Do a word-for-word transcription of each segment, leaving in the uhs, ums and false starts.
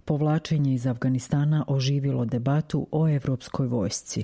Povlačenje iz Afganistana oživilo debatu o evropskoj vojsci.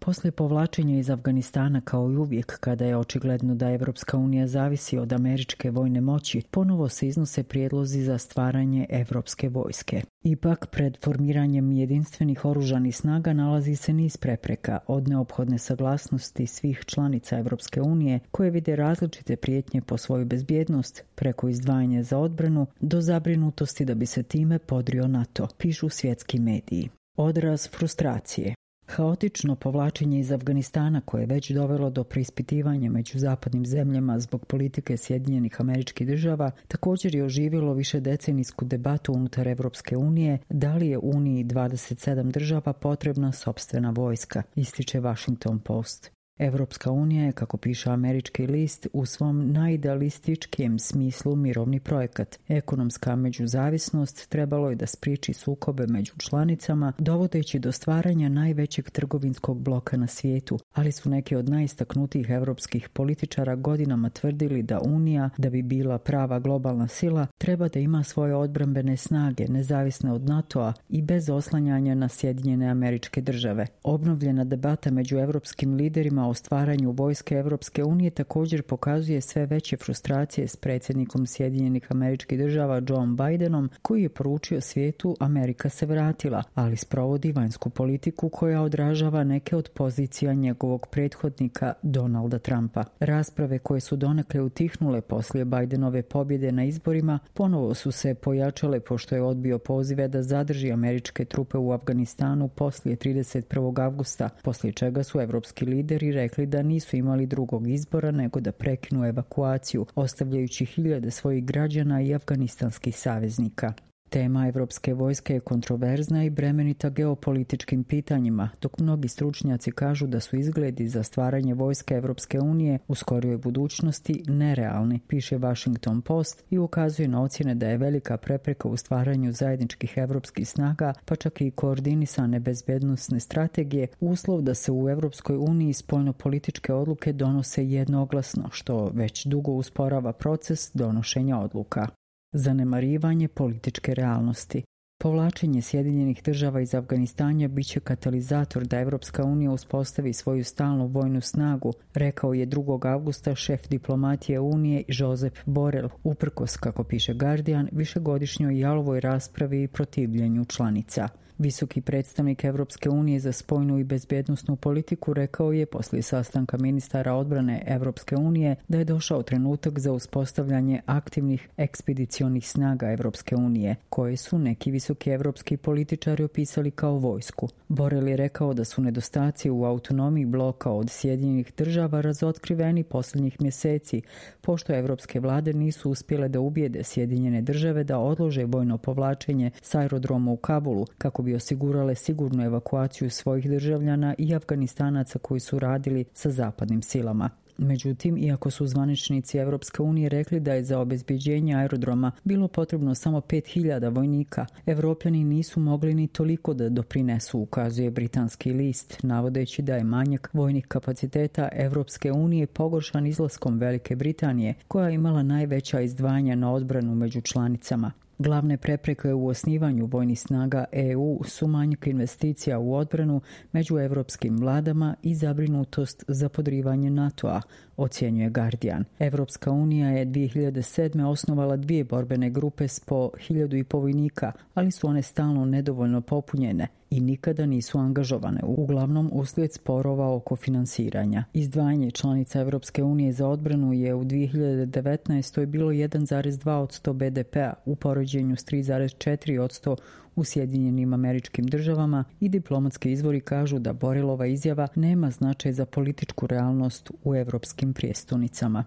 Poslije povlačenja iz Afganistana, kao i uvijek kada je očigledno da Evropska unija zavisi od američke vojne moći, ponovo se iznose prijedlozi za stvaranje evropske vojske. Ipak, pred formiranjem jedinstvenih oružanih snaga nalazi se niz prepreka, od neophodne saglasnosti svih članica Evropske unije koje vide različite prijetnje po svoju bezbjednost, preko izdvajanja za odbranu, do zabrinutosti da bi se time podrio NATO, pišu svjetski mediji. Odraz frustracije. Haotično povlačenje iz Afganistana, koje je već dovelo do preispitivanja među zapadnim zemljama zbog politike Sjedinjenih Američkih Država, također je oživjelo višedecenijsku debatu unutar Evropske unije da li je Uniji dvadeset sedam država potrebna sopstvena vojska, ističe Washington Post. Evropska unija je, kako piše američki list, u svom najidealističkijem smislu mirovni projekat. Ekonomska međuzavisnost trebalo je da spriječi sukobe među članicama, dovodeći do stvaranja najvećeg trgovinskog bloka na svijetu, ali su neki od najistaknutijih evropskih političara godinama tvrdili da Unija, da bi bila prava globalna sila, treba da ima svoje odbrambene snage, nezavisne od NATO-a i bez oslanjanja na Sjedinjene Američke Države. Obnovljena debata među evropskim liderima o stvaranju vojske Evropske unije također pokazuje sve veće frustracije s predsjednikom Sjedinjenih Američkih Država Joe Bidenom, koji je poručio svijetu Amerika se vratila, ali sprovodi vanjsku politiku koja odražava neke od pozicija njegovog prethodnika Donalda Trumpa. Rasprave koje su donekle utihnule poslije Bidenove pobjede na izborima ponovo su se pojačale pošto je odbio pozive da zadrži američke trupe u Afganistanu poslije trideset prvog avgusta, poslije čega su evropski lideri rekli da nisu imali drugog izbora nego da prekinu evakuaciju, ostavljajući hiljade svojih građana i afganistanskih saveznika. Tema evropske vojske je kontroverzna i bremenita geopolitičkim pitanjima, dok mnogi stručnjaci kažu da su izgledi za stvaranje vojske Evropske unije u skorijoj budućnosti nerealni, piše Washington Post i ukazuje na ocjene da je velika prepreka u stvaranju zajedničkih evropskih snaga, pa čak i koordinisane bezbednosne strategije, uslov da se u Evropskoj uniji spoljnopolitičke odluke donose jednoglasno, što već dugo usporava proces donošenja odluka. Zanemarivanje političke realnosti. Povlačenje Sjedinjenih Država iz Afganistana biće katalizator da Evropska unija uspostavi svoju stalnu vojnu snagu, rekao je drugog avgusta šef diplomatije Unije Josep Borrell, uprkos, kako piše Guardian, višegodišnjoj jalovoj raspravi i protivljenju članica. Visoki predstavnik Evropske unije za spoljnu i bezbjednosnu politiku rekao je poslije sastanka ministara odbrane Evropske unije da je došao trenutak za uspostavljanje aktivnih ekspedicionih snaga Evropske unije, koje su neki visoki evropski političari opisali kao vojsku. Borrell je rekao da su nedostaci u autonomiji bloka od Sjedinjenih Država razotkriveni posljednjih mjeseci, pošto evropske vlade nisu uspjele da ubijede Sjedinjene Države da odlože vojno povlačenje s aerodroma u Kabulu, kako bi osigurale sigurnu evakuaciju svojih državljana i Afganistanaca koji su radili sa zapadnim silama. Međutim, iako su zvaničnici Evropske unije rekli da je za obezbeđenje aerodroma bilo potrebno samo pet hiljada vojnika, Evropljani nisu mogli ni toliko da doprinesu, ukazuje britanski list, navodeći da je manjak vojnih kapaciteta Evropske unije pogoršan izlaskom Velike Britanije, koja je imala najveća izdvajanja na odbranu među članicama. Glavne prepreke u osnivanju vojnih snaga E U su manjak investicija u odbranu među evropskim vladama i zabrinutost za podrivanje NATO-a, ocjenjuje Guardian. Evropska unija je dvije hiljade sedme. osnovala dvije borbene grupe s po hiljadu i po vojnika, ali su one stalno nedovoljno popunjene i nikada nisu angažovane, uglavnom uslijed sporova oko finansiranja. Izdvajanje članica Evropske unije za odbranu je u dvije hiljade devetnaestoj. bilo jedan zarez dva posto be de pea u poređenju s tri zarez četiri posto u Sjedinjenim Američkim Državama i diplomatski izvori kažu da Borrellova izjava nema značaj za političku realnost u evropskim prijestolnicama.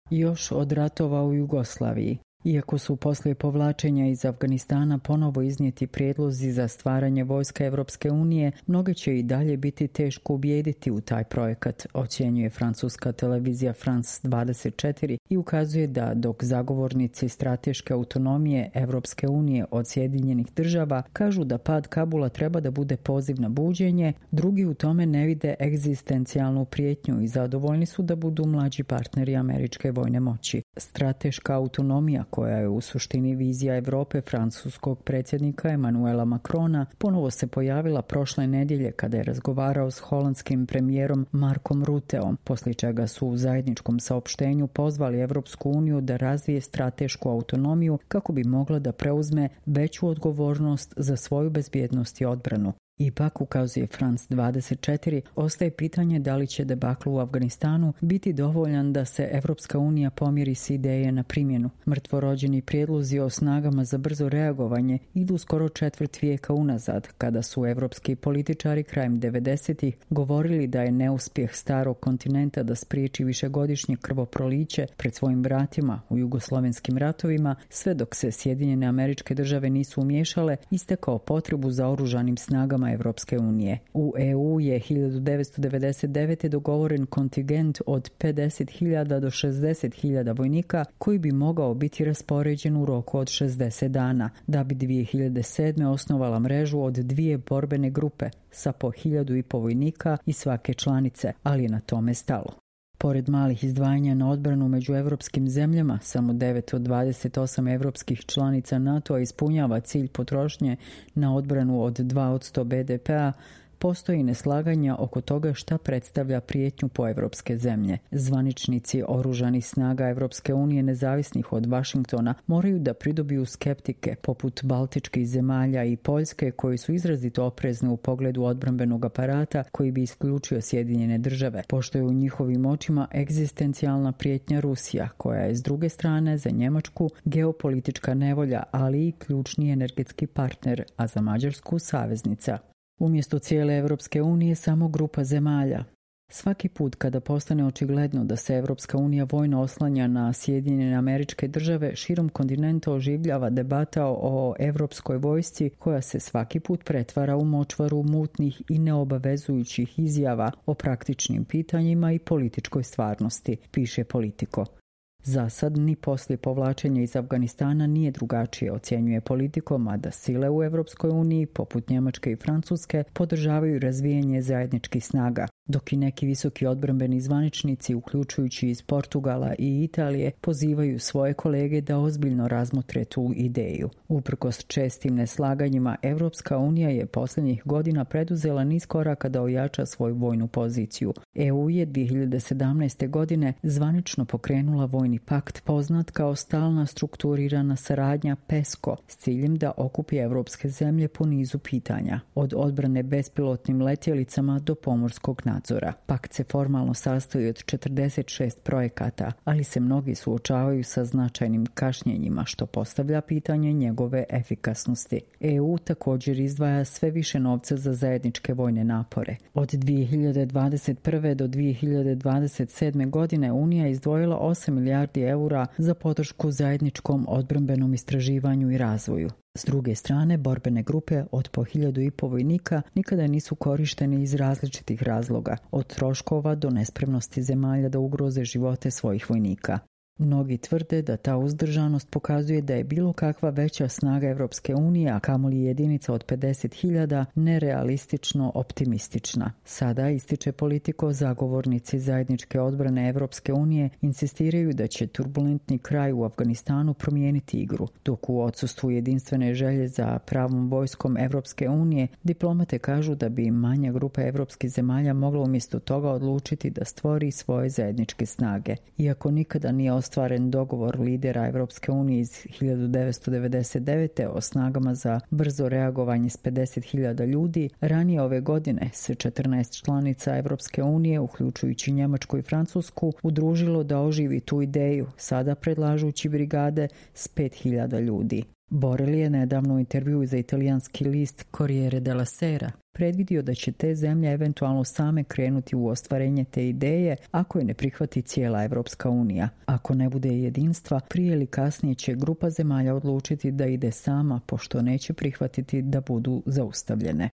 Još od ratova u Jugoslaviji. Iako su poslije povlačenja iz Afganistana ponovo iznijeti prijedlozi za stvaranje vojska Evropske unije, mnoge će i dalje biti teško ubijediti u taj projekat, ocjenjuje francuska televizija France dvadeset četiri i ukazuje da dok zagovornici strateške autonomije Evropske unije od Sjedinjenih Država kažu da pad Kabula treba da bude poziv na buđenje, drugi u tome ne vide egzistencijalnu prijetnju i zadovoljni su da budu mlađi partneri američke vojne moći. Strateška autonomija, koja je u suštini vizija Europe francuskog predsjednika Emmanuela Macrona, ponovo se pojavila prošle nedjelje kada je razgovarao s holandskim premijerom Markom Rutteom, poslije čega su u zajedničkom saopštenju pozvali Evropsku uniju da razvije stratešku autonomiju kako bi mogla da preuzme veću odgovornost za svoju bezbjednost i odbranu. Ipak, ukazuje France dvadeset četiri, ostaje pitanje da li će debakl u Afganistanu biti dovoljan da se Evropska unija pomiri s ideje na primjenu. Mrtvorođeni prijedlozi o snagama za brzo reagovanje idu skoro četvrt vijeka unazad, kada su evropski političari krajem devedesetih govorili da je neuspjeh starog kontinenta da spriječi višegodišnje krvoproliće pred svojim vratima u jugoslovenskim ratovima, sve dok se Sjedinjene Američke Države nisu umiješale, istekao potrebu za oružanim snagama Evropske unije. U E U je hiljadu devetsto devedeset devete dogovoren kontingent od pedeset hiljada do šezdeset hiljada vojnika koji bi mogao biti raspoređen u roku od šezdeset dana, da bi dvije hiljade sedme osnovala mrežu od dvije borbene grupe sa po hiljadu i po vojnika i svake članice, ali je na tome stalo. Pored malih izdvajanja na odbranu među evropskim zemljama, samo devet od dvadeset osam evropskih članica NATO-a ispunjava cilj potrošnje na odbranu od dva posto be de pea, postoji neslaganja oko toga šta predstavlja prijetnju po evropske zemlje. Zvaničnici oružanih snaga Evropske unije nezavisnih od Vašingtona moraju da pridobiju skeptike poput baltičkih zemalja i Poljske koji su izrazito oprezni u pogledu odbrambenog aparata koji bi isključio Sjedinjene Države, pošto je u njihovim očima egzistencijalna prijetnja Rusija, koja je s druge strane za Njemačku geopolitička nevolja, ali i ključni energetski partner, a za Mađarsku saveznica. Umjesto cijele Evropske unije samo grupa zemalja. Svaki put kada postane očigledno da se Evropska unija vojno oslanja na Sjedinjene Američke Države, širom kontinenta oživljava debata o evropskoj vojsci koja se svaki put pretvara u močvaru mutnih i neobavezujućih izjava o praktičnim pitanjima i političkoj stvarnosti, piše Politico. Za sad ni poslije povlačenja iz Afganistana nije drugačije, ocjenjuje Politico, mada sile u Evropskoj uniji, poput Njemačke i Francuske, podržavaju razvijanje zajedničkih snaga, dok i neki visoki odbrambeni zvaničnici, uključujući iz Portugala i Italije, pozivaju svoje kolege da ozbiljno razmotre tu ideju. Uprkos čestim neslaganjima, Evropska unija je posljednjih godina preduzela niz koraka da ojača svoju vojnu poziciju. E U je dvije hiljade sedamnaeste. godine zvanično pokrenula vojni pakt poznat kao stalna strukturirana saradnja PESCO s ciljem da okupi evropske zemlje po nizu pitanja, od odbrane bespilotnim letjelicama do pomorskog nadzora. Pakt se formalno sastoji od četrdeset šest projekata, ali se mnogi suočavaju sa značajnim kašnjenjima, što postavlja pitanje njegove efikasnosti. E U također izdvaja sve više novca za zajedničke vojne napore. Od dvije hiljade dvadeset prve. do dvije hiljade dvadeset sedme. godine Unija izdvojila osam milijardi eura za podršku zajedničkom odbrambenom istraživanju i razvoju. S druge strane, borbene grupe od po hiljadu i po vojnika nikada nisu korištene iz različitih razloga, od troškova do nespremnosti zemalja da ugroze živote svojih vojnika. Mnogi tvrde da ta uzdržanost pokazuje da je bilo kakva veća snaga Evropske unije, a kamoli jedinica od pedeset hiljada, nerealistično optimistična. Sada, ističe Politico, zagovornici zajedničke odbrane Evropske unije insistiraju da će turbulentni kraj u Afganistanu promijeniti igru, dok u odsustvu jedinstvene želje za pravom vojskom Evropske unije, diplomate kažu da bi manja grupa evropskih zemalja mogla umjesto toga odlučiti da stvori svoje zajedničke snage. Iako nikada nije ostvaren dogovor lidera Evropske unije iz hiljadu devetsto devedeset devete. o snagama za brzo reagovanje s pedeset hiljada ljudi, ranije ove godine se četrnaest članica Evropske unije, uključujući Njemačku i Francusku, udružilo da oživi tu ideju, sada predlažući brigade s pet hiljada ljudi. Borrell je nedavno u intervjuu za italijanski list Corriere della Sera predvidio da će te zemlje eventualno same krenuti u ostvarenje te ideje ako je ne prihvati cijela Evropska unija. Ako ne bude jedinstva, prije ili kasnije će grupa zemalja odlučiti da ide sama, pošto neće prihvatiti da budu zaustavljene.